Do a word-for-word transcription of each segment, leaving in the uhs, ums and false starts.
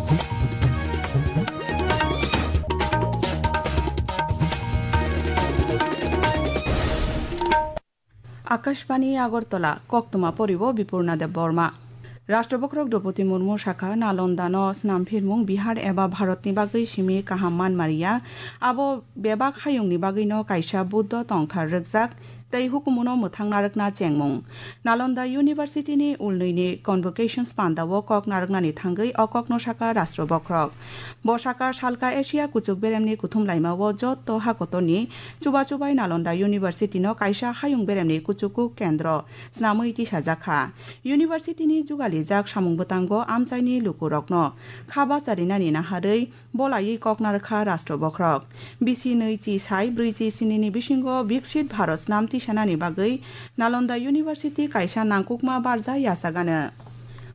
Akashbani Agartala, koktwma poribo Bipurna Debbarma. Rashtrabokhrok Droupadi Murmu sakha, Nalondano snamphirmung Bihar eba Bharatni bagwi simi kaham manmariya, abo bebak hayungni bagwino kaisa Buddho tongthar rwkjak tei hukumuno mwthang narwkna chengmung. Nalanda University-ni ulnwini convocations pandao kok narwknani thangwi o kokno sakha Rashtrabokhrok. Bo sakha salka Asia kuchuk beremni kuthum laimao jotto hakotorni chubachu bai Nalanda University-no kaisa hayung beremni kuchuku kendro snamwi tisajakha. University-ni jugalijak samung bwtango amchaini lukurokno kha bacharinani naharwi bolaiwi kok narwkha Rashtrabokhrok. Bisi nwi chi sai brwi chi sinini bisingo Viksit Bharat snam tisanani bagwi Nalanda University kaisa nangkukma barja yachagano.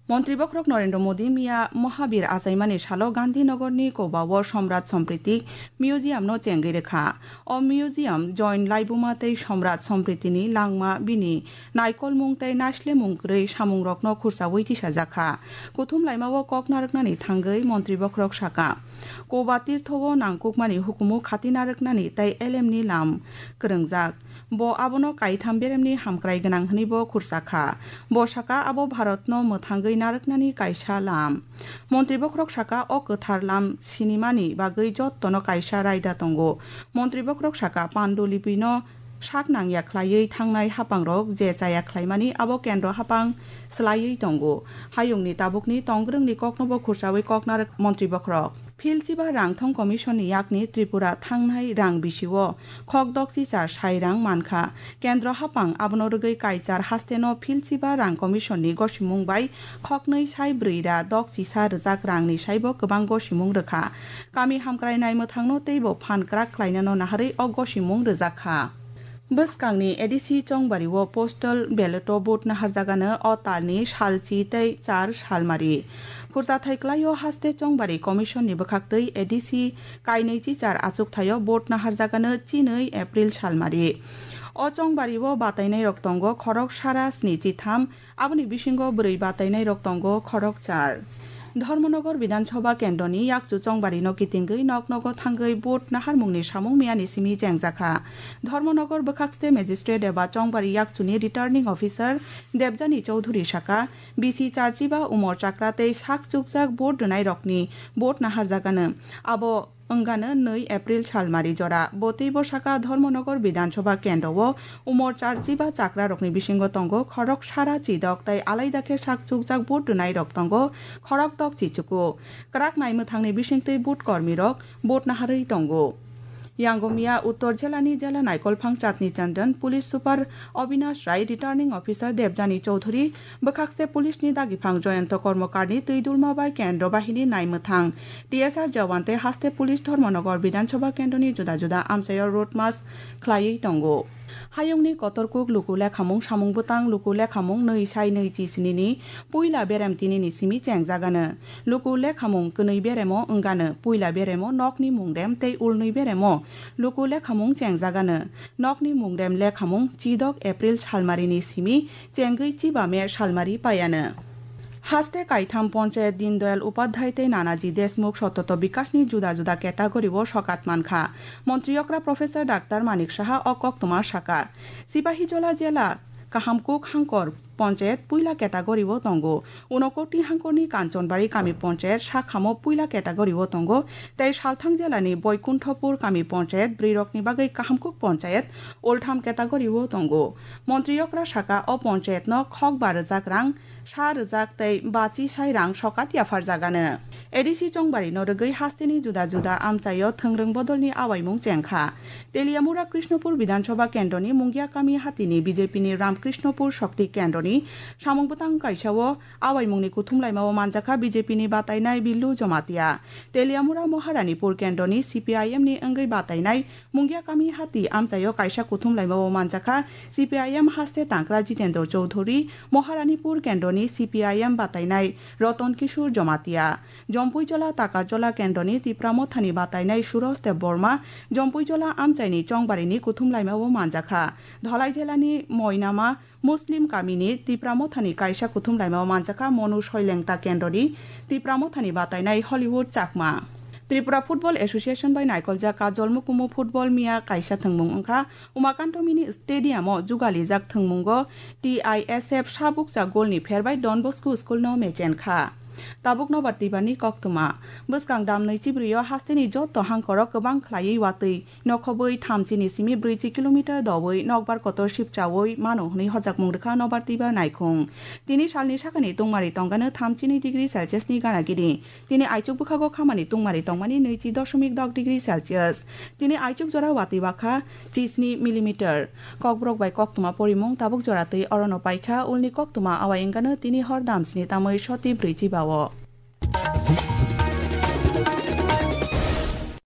Montri Bokhorok Narendra Modi miya Mahabir achaimani salo Gandhinagarni Kobao Somrat Sampriti Museum-no chengwi rwkha. O museum Jain laibuma tei Somrat Sampritini langma, bini naikolmung tei naislemung kwrwi samungrokno khursaui tisajakha. Kuthum laimao kok narwknani thangwi Montri Bokhorok sakha, Koba tirtho-o nangkukmani hukumu khati narwknani tei elemni lam kwrwngjak. Bo abono kaitham beremni hamkrai gwnang hwnwibo khursa kha. Bo sakha, abo Bharatno mwthangwi narwknani kaisa lam. Montri Bokhorok sakha, o kwthar lam sinimani bagwi jottono kaisa raida tongo. Montri Bokhorok sakha, Pandulipino sak nangya khlaiwi thangnai haphangrok je chaya khlaimani abo kendro haphang swlaiwi tongo. Hayungni tabukni tongbrwngni koknobo khursaui kok narwk Montri Bokhorok. Philchiba Rangthong Commission-ni yakni Tripura thangnai rang bisio khok dokchi char sai rang mankha. Kendro haphang abono rwgwi kaichar hasteno Philchiba Rang Commission-ni gosimung bai khoknwi sai brwi ra dokchi sa rwjak rangni saibo kwbang gosimung rwkha. Kami hamkrai naimwthangno teibo phan kwrak khlainano naharwi o gosimung rwjak kha. Bwskangni A D C Chongbario postal ballot-o vote naharjagano o talni salchi tei char salmari. Khurchathai kwlaio haste Chongbari Commission-ni bwkhaktwi A D C kainwi chichar achukthai-o vote naharjagano chinwi April salmari. O Chongbario batainairok tongo khorok sara sni chitham, aboni bisingo bwrwi batainairok tongo khorok char. Dharmanagar Bidhan Sabha kendroni yakchu Chongbarino kitingwi nok nogo thangwi vote naharmungni samung miyani simi chengjakha. Dharmanagar bwkhakste magistrate eba Chongbari yakchuni returning officer Debjani Chowdhury sakha, bisi charchiba umor chakra tei sak chukjak vote rwnairokni vote naharjagano. Abo wngano nwi April salmari jora. Bo teibo sakha, Dharmanagar Bidhan Sabha kendro-o umor charchiba chakrarokni bisingo tongo khorok sara chidok tei alaida khe sak chukjak vote rwnairok tongo khorok tok chichuku. Kwrak naimwthangni bisingtwi vote kormirok vote naharwi tongo. Yango miya Uttor Jelani Jela Naikolphang Chatni Chandan, Police Super Obinash Rai, Returning Officer Debjani Chowdhury, bwkhakste Police ni dagiphang Jayanta Kormokarni twi dulma bai Kendro Bahini naimwthang, T S R Jawan tei haste Police Dharmanagar Bidhan Sabha Kendroni juda juda amchaio road march khlaiwi tongo. Hayungni kotorkuk luku lekhamung samung bwtang luku lekhamung nwi sai nwi chi sini ni puila berem tini ni simi chengjagano. Luku lekhamung kwnwi beremo wngano, puila beremo nokni mungrem tei ulnwi beremo luku lekhamung chengjagano. Nokni mungrem lekhamung chidok April salmarini simi chengwi chiba me salmari paiano. Haste kaitham ponchayat Dindayal Upadhyay tei Nanaji Deshmukh Satoto Bikasni juda juda category-o sokat mankha. Montri okra Professor Doctor Manik Saha o koktwma sakha. Sipahijola jela Kahamkuk Hangkor ponchayat puila category-o tongo. Unokoti Hangkorni Kanchanbari kami ponchayat sakhamo puila category-o tongo, tei Salthang jelani Boikunthopur kami ponchayat bwrwirokni bagwi Kahamkuk ponchayat ultham category-o tongo. Montri okra sakha o ponchayatno khokba rwjak rang sa rwjak tei bachi sai rang sokat yapharjagano. A D C Chongbarino rwgwi hasteni juda juda amchaio thwngrwng bodolni awaimung chengkha. Teliamura Krishnopur Bidhan Sabha Kendroni Mungia Kami Hatini B J P ni Ramkrishnopur Shakti Kendroni samung bwtang kaisao awaimungni kuthum laimao manjakha B J P ni batainai Billu Jamatia. Teliamura Moharanipur Kendroni C P I M ni wngwi batainai Mungia Kami Hati amchaio kaisa kuthum laimao manjakha C P I M haste tangkra Jitendra Chowdhury, Moharanipur Kendroni C P I M batainai Ratan Kishore Jamatia. Jompuijola Takarjola Kendroni Tipra Mothani batainai Suraj Debbarma Jompuijola amchaini chongbarini kuthum laimao manjakha. Dholai jelani Moinama Muslim kamini Tipra Mothani kaisa kuthum laimao manjakha Monu Soilengta Kendroni Tipra Mothani batainai Hollywood Chakma. Tripura Football Association bai naikoljak Kajol Mukumu Football Miya kaisa thwngmung wngkha Umakanto Mini Stadium o jugalijak thwngmungo T I S F sabukcha golni pherbai Don Bosco School no mechenkha. Tabuk nobar tibarni koktwma. Bwskang dam nwichi bwrwi o hasteni jotto hangkoro kwbang khlaiwi watwi nokhobwi thamchini simi brwichi kilometer dowi nokbar kotor sipchawi mano hwnwi hojakmung rwkha nobar tibar naikhung. Tini salni sakani tungmari tongano thamchini degree Celsius ni gana gini. Tini aichuk bwkhago khamani tungmari tongmani nwichi doshomik dok degree Celsius. Tini aichuk jora watwi bakha chisni millimeter. Kokborok bai koktwma porimung tabuk jora twi orono paikha, ulni koktwma awai wngano tini hor dam sini tamwi soti brwichi bao.